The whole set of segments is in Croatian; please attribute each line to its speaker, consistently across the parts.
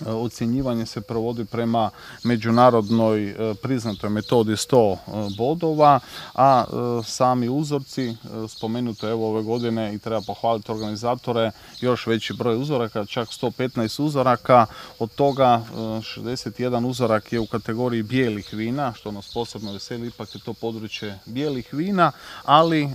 Speaker 1: ocjenjivanje se provodi prema međunarodnoj priznatoj metodi 100 bodova, a sami uzorci, spomenuto je ove godine i treba pohvaliti organizatore, još veći broj uzoraka, čak 115 uzoraka, od toga 61 uzorak je u kategoriji bijelih vina, što nas posebno veseli, ipak je to područje bijelih vina, ali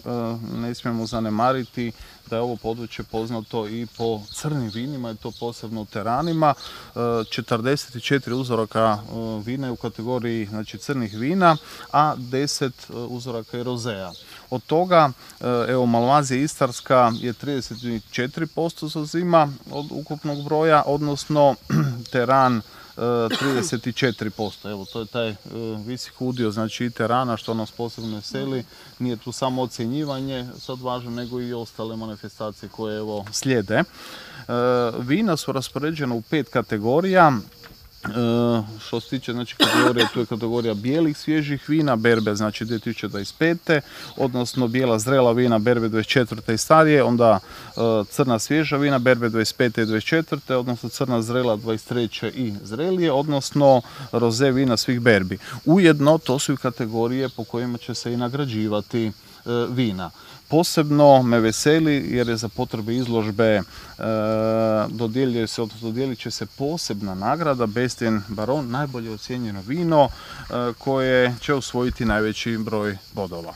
Speaker 1: ne smijemo zanemariti da je ovo područje poznato i po crnim vinima i to posebno u teranima. 44 uzoraka vina je u kategoriji, znači, crnih vina, a 10 uzoraka je rozeja. Od toga, evo, Malvazija Istarska je 34% zauzima od ukupnog broja, odnosno Teran 34%. Evo, to je taj visok udio, znači, i terana, što nas posebno veseli. Nije tu samo ocjenjivanje sad važno, nego i ostale manifestacije koje, evo, slijede. Vina su raspoređena u 5 kategorija. Što se tiče, znači, kategorije, tu je kategorija bijelih svježih vina, berbe, znači 2025. odnosno bijela zrela vina, berbe 24. i starije, onda crna svježa vina, berbe 25. i 24. odnosno crna zrela 23. i zrelije, odnosno roze vina svih berbi. Ujedno, to su i kategorije po kojima će se i nagrađivati vina. Posebno me veseli jer je za potrebe izložbe dodijelit će se posebna nagrada Bestien Baron, najbolje ocijenjeno vino, koje će osvojiti najveći broj bodova.